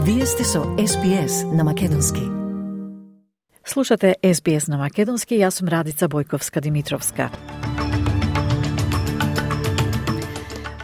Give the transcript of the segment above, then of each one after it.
Вие сте со SBS на Македонски. Слушате SBS на Македонски, јас сум Радица Бојковска-Димитровска.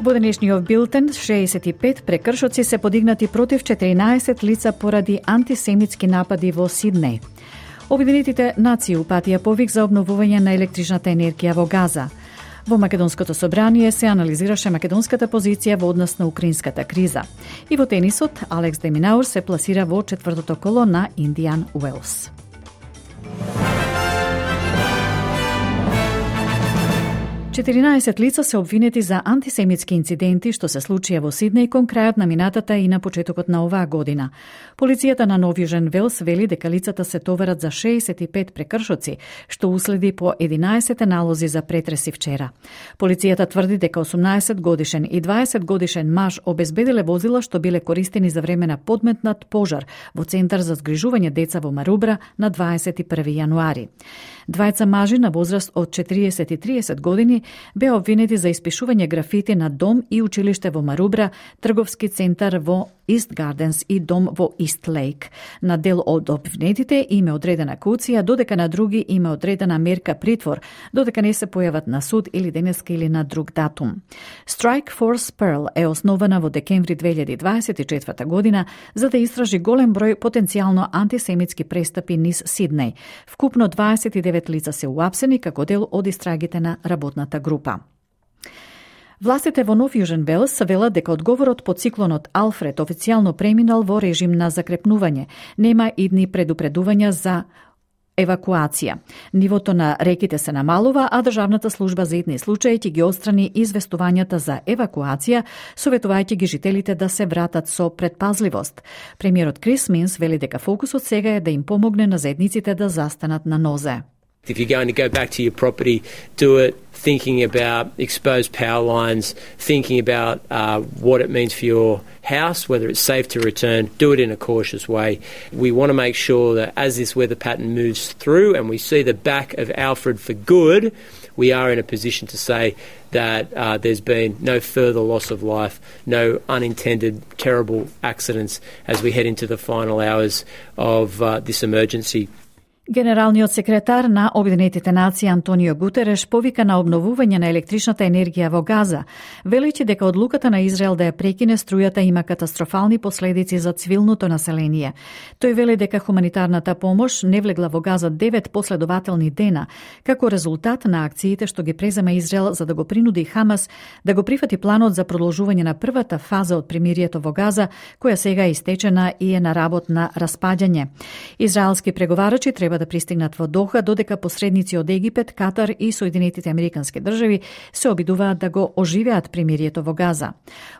Во денешниот билтен, 65 прекршоци се подигнати против 14 лица поради антисемитски напади во Сиднеј. Обединетите нации упатија повик за обновување на електричната енергија во Газа. Во Македонското собрание се анализираше македонската позиција во однос на украинската криза. И во тенисот, Алекс де Минаур се пласира во четвртото коло на Индиан Уелс. Четиринаесет лица се обвинети за антисемитски инциденти што се случија во Сиднеј кон крајот на минатата и на почетокот на оваа година. Полицијата на Нов Јужен Велс вели дека лицата се товарат за 65 прекршоци, што уследи по 11 налози за претреси вчера. Полицијата тврди дека 18 годишен и 20 годишен маж обезбедиле возила што биле користени за време на подметнат пожар во Центар за згрижување деца во Марубра на 21 јануари. Двајца мажи на возраст од 40 и 30 години беа обвинети за испишување графити на дом и училиште во Марубра, трговски центар во Ист Гарденс и дом во Ист Лейк. На дел од обвинетите им е одредена кауција, додека на други им е одредена мерка притвор, додека не се појават на суд или денеска или на друг датум. Strike Force Pearl е основана во декември 2024 година за да истражи голем број потенцијално антисемитски престапи низ Сиднеј. Вкупно 29 лица се уапсени како дел од истрагите на работната група. Властите во Нов Јужен Велс велат дека одговорот по циклонот Алфред официјално преминал во режим на закрепнување. Нема идни предупредувања за евакуација. Нивото на реките се намалува, а Државната служба за итни случаи ќе ги отстрани известувањата за евакуација, советувајќи ги жителите да се вратат со предпазливост. Премиерот Крис Минс вели дека фокусот сега е да им помогне на заедниците да застанат на нозе. If you're going to go back to your property, do it thinking about exposed power lines, thinking about what it means for your house, whether it's safe to return. Do it in a cautious way. We want to make sure that as this weather pattern moves through and we see the back of Alfred for good, we are in a position to say that there's been no further loss of life, no unintended terrible accidents as we head into the final hours of this emergency. Генералниот секретар на Обединетите нации Антонио Гутереш повика на обновување на електричната енергија во Газа, велејќи дека одлуката на Израел да ја прекине струјата има катастрофални последици за цивилното население. Тој вели дека хуманитарната помош не влегла во Газа 9 последователни дена, како резултат на акциите што ги презема Израел за да го принуди Хамас да го прифати планот за продолжување на првата фаза од примирието во Газа, која сега е истечена и е на работ на распаѓање. Израелски преговарачи треба да пристигнат во Доха, додека посредници од Египет, Катар и Соединетите Американски држави се обидуваат да го оживеат примирието во Газа.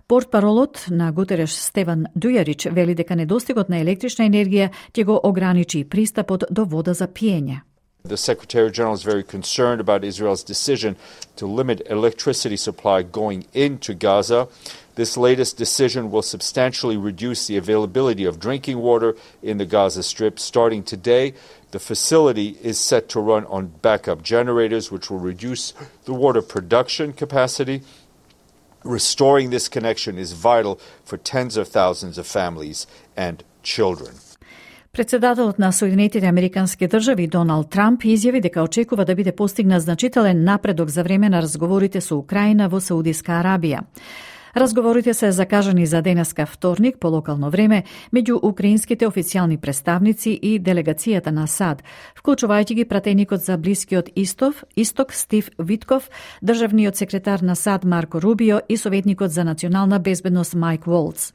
Портпаролот на Гутереш Стеван Дујарич вели дека недостигот на електрична енергија ќе го ограничи пристапот до вода за пиење. The Secretary General is very concerned about Israel's decision to limit electricity supply going into Gaza. This latest decision will substantially reduce the availability of drinking water in the Gaza Strip. Starting today, the facility is set to run on backup generators, which will reduce the water production capacity. Restoring this connection is vital for tens of thousands of families and children. Председателот на Соединетите Американски држави Доналд Трамп изјави дека очекува да биде постигнат значителен напредок за време на разговорите со Украина во Саудиска Арабија. Разговорите се закажани за денеска вторник по локално време меѓу украинските официјални представници и делегацијата на САД, вклучувајќи ги пратеникот за Блискиот Исток Стив Витков, државниот секретар на САД Марко Рубио и советникот за национална безбедност Майк Волц.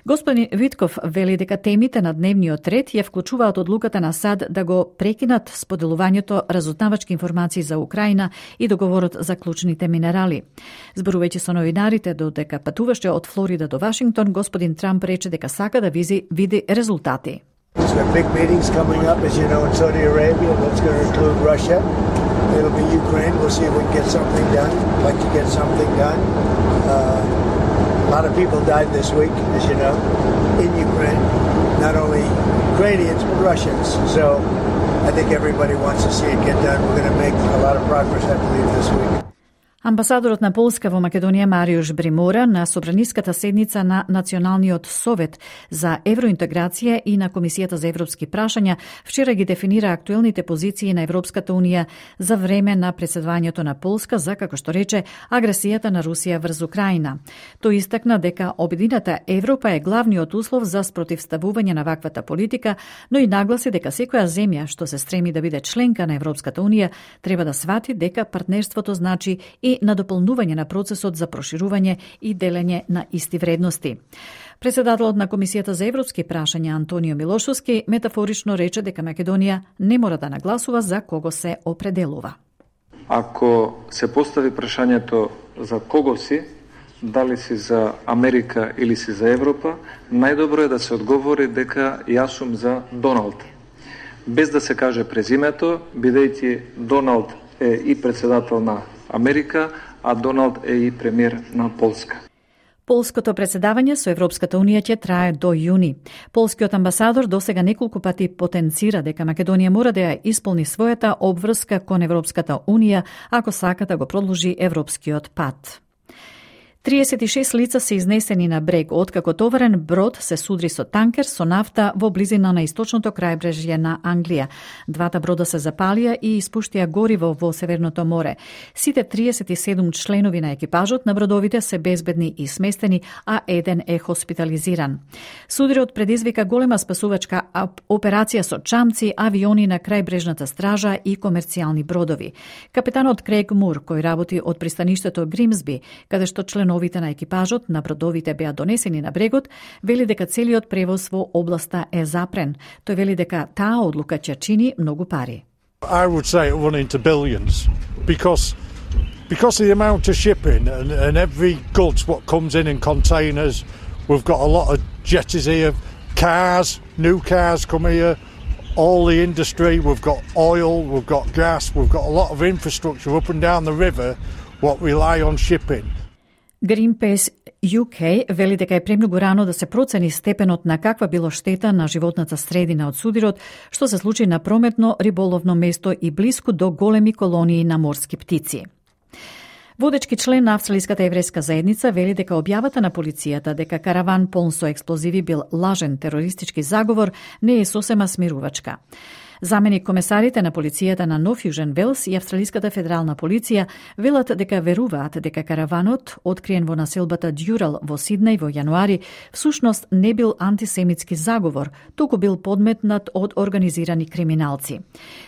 Господин Витков вели дека темите на дневниот ред ја вклучуваат одлуката на САД да го прекинат споделувањето разузнавачки информации за Украина и договорот за клучните минерали. Зборувајќи со новинарите додека патуваше од Флорида до Вашингтон, господин Трамп рече дека сака да види резултати. There's big meetings coming up, as you know, in Saudi Arabia. That's going to include Russia. It'll be Ukraine. We'll see if we can get something done. I'd like to get something done. A lot of people died this week, as you know, in Ukraine. Not only Ukrainians, but Russians. So I think everybody wants to see it get done. We're going to make a lot of progress, I believe, this week. Амбасадорот на Полска во Македонија Мариуш Бримора на собраниската седница на Националниот совет за евроинтеграција и на Комисијата за европски прашања вчера ги дефинира актуелните позиции на Европската унија за време на претседавањето на Полска за, како што рече, агресијата на Русија врз Украина. Тој истакна дека обединета Европа е главниот услов за спротивставување на ваквата политика, но и нагласи дека секоја земја што се стреми да биде членка на Европската унија треба да свати дека партнерството значи и на дополнување на процесот за проширување и делење на исти вредности. Председателот на Комисијата за европски прашања Антонио Милошовски метафорично рече дека Македонија не мора да нагласува за кого се определува. Ако се постави прашањето за кого си, дали си за Америка или си за Европа, најдобро е да се одговори дека јас сум за Доналд. Без да се каже презимето, бидејќи Доналд е и председател на Америка, а Доналд е и премиер на Полска. Полското председавање со Европската унија ќе трае до јуни. Полскиот амбасадор досега неколку пати потенцира дека Македонија мора да ја исполни својата обврска кон Европската унија ако сака да го продолжи европскиот пат. 36 лица се изнесени на брег откако товарен брод се судри со танкер со нафта во близина на источното крајбрежје на Англија. Двата брода се запалија и испуштија гориво во Северното море. Сите 37 членови на екипажот на бродовите се безбедни и сместени, а еден е хоспитализиран. Судрот предизвика голема спасувачка операција со чамци, авиони на крајбрежната стража и комерцијални бродови. Капетанот Крейг Мур, кој работи од пристаништето Гримсби, каде што членовите на екипажот на бродовите беа донесени на брегот, вели дека целиот превоз во областа е запрен. Тој вели дека таа одлука ќе чини многу пари. I would say it run into billions because of the amount of shipping and every goods what comes in containers. We've got a lot of jetties here, cars, new cars come here, all the industry, we've got oil, we've got gas, we've got a lot of infrastructure up and down the river what rely on shipping. Greenpeace UK вели дека е премногу рано да се процени степенот на каква било штета на животната средина од судирот, што се случи на прометно риболовно место и блиску до големи колонии на морски птици. Водечки член на Австралиската еврејска заедница вели дека објавата на полицијата дека караван полн со експлозиви бил лажен терористички заговор не е сосема смирувачка. Заменик комесарите на полицијата на Нов Јужен Велс и Австралиската федерална полиција велат дека веруваат дека караванот, откриен во населбата Дјурал во Сиднеј во јануари, всушност не бил антисемитски заговор, туку бил подметнат од организирани криминалци.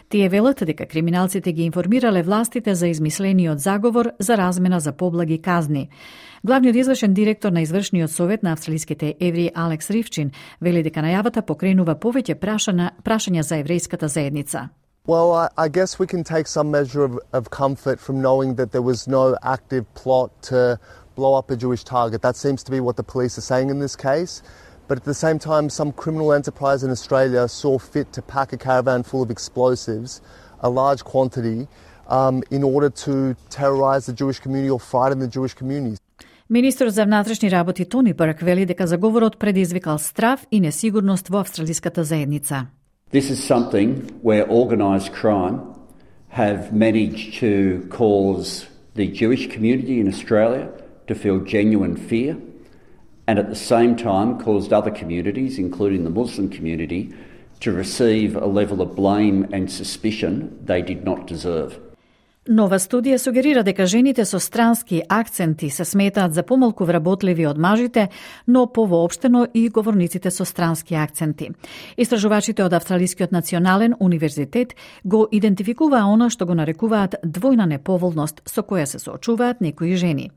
Тие велат дека криминалците ги информирале властите за измислениот заговор за размена за поблаги казни. Главниот извршен директор на извршниот совет на австралиските евреи Алекс Ривчин вели дека најавата покренува повеќе прашања за еврејската заедница. Well, I guess we can take some measure of comfort from knowing that there was no active plot to blow up a Jewish target. That seems to be what the police are saying in this case. But at the same time, some criminal enterprise in Australia saw fit to pack a caravan full of explosives, a large quantity, in order to terrorise the Jewish community or frighten the Jewish communities. Министерот за внатрешни работи Тони Брк вели дека заговорот предизвикал страв и несигурност во австралиската заедница. This is something where organised crime have managed to cause the Jewish community in Australia to feel genuine fear and at the same time caused other communities, including the Muslim community, to receive a level of blame and suspicion they did not deserve. Нова студија сугерира дека жените со странски акценти се сметаат за помалку вработливи од мажите, но повоопштено и говорниците со странски акценти. Истражувачите од Австралискиот национален универзитет го идентификуваа она што го нарекуваат двојна неповолност со која се соочуваат некои жени.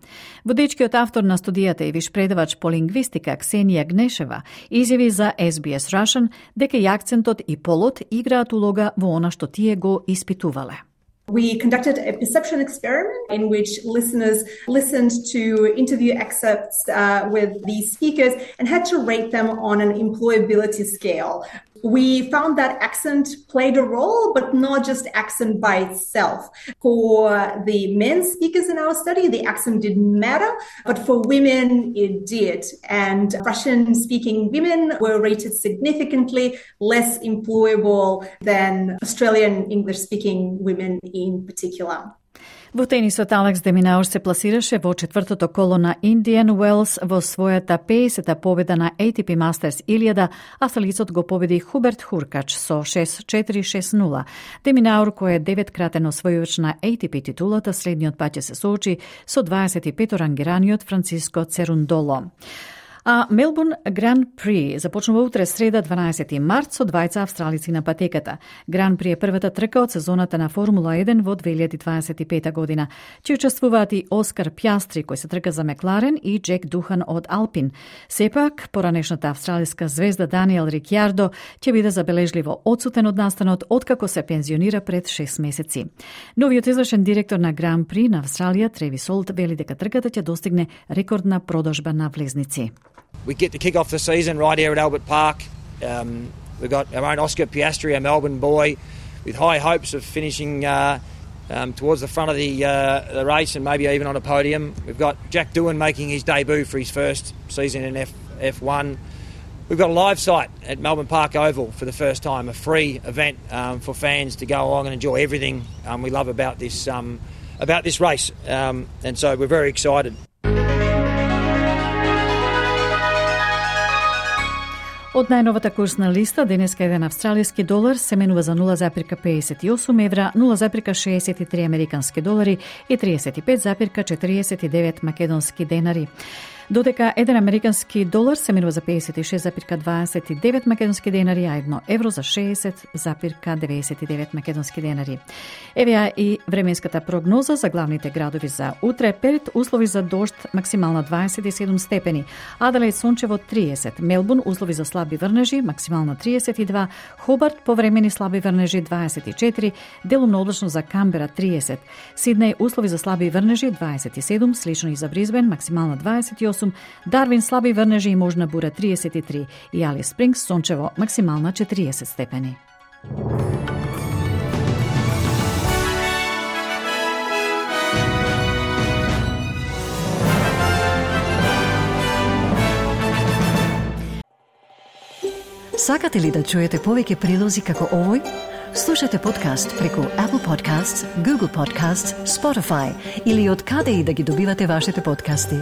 Водечкиот автор на студијата и виш предавач по лингвистика Ксенија Гнешева изјави за SBS Russian дека и акцентот и полот играат улога во она што тие го испитувале. We conducted a perception experiment in which listeners listened to interview excerpts with these speakers and had to rate them on an employability scale. We found that accent played a role, but not just accent by itself. For the men speakers in our study, the accent didn't matter, but for women, it did. And Russian-speaking women were rated significantly less employable than Australian English-speaking women in particular. Во тенисот Алекс де Минаур се пласираше во четвртото коло на Индиан Уелс во својата 50-та победа на ATP Masters 1000, австралицот го победи Хуберт Хуркач со 6-4-6-0. Де Минаур, кој е 9-кратен освојувач на ATP титулата, следниот пат ќе се соочи со 25 рангираниот Франциско Церундоло. А Мелбурн Гран При започнува утре среда 12 март со двајца австралици на патеката. Гран При е првата трка од сезоната на Формула 1 во 2025 година. Ќе учествуваат и Оскар Пјастри, кој се трка за Мекларен, и Джек Духан од Алпин. Сепак, поранешната австралиска звезда Даниел Рикјардо ќе биде забележливо одсутен од настанот откако се пензионира пред 6 месеци. Новиот извршен директор на Гран При на Австралија, Тревис Олт, вели дека трката ќе достигне рекордна продажба на влезници. We get to kick off the season right here at Albert Park. We've got our own Oscar Piastri, a Melbourne boy, with high hopes of finishing towards the front of the race and maybe even on a podium. We've got Jack Doohan making his debut for his first season in F1. We've got a live site at Melbourne Park Oval for the first time, a free event for fans to go along and enjoy everything we love about this race. And so we're very excited. Од најновата курсна листа, денеска еден австралиски долар се менува за 0,58 евра, 0,63 американски долари и 35,49 македонски денари. Додека еден американски долар се менува за 56,29 македонски денари, а 1 евро за 60,99 македонски денари. Еве и временската прогноза за главните градови за утре. Перт услови за дожд, максимална 27 степени. Аделаид сончево 30, Мелбурн услови за слаби врнежи, максимално 32, Хобарт повремени слаби врнежи 24, делумно облачно за Камбера 30, Сиднеј услови за слаби врнежи 27, слично и за Бризбен, максимално 28, Дарвин слаби врнежи и можна бура 33 и Алис Спрингс сончево максимална 40 степени. Сакате ли да чуете повеќе прилози како овој? Слушате подкаст преку Apple Podcasts, Google Podcasts, Spotify или од каде и да ги добивате вашите подкасти.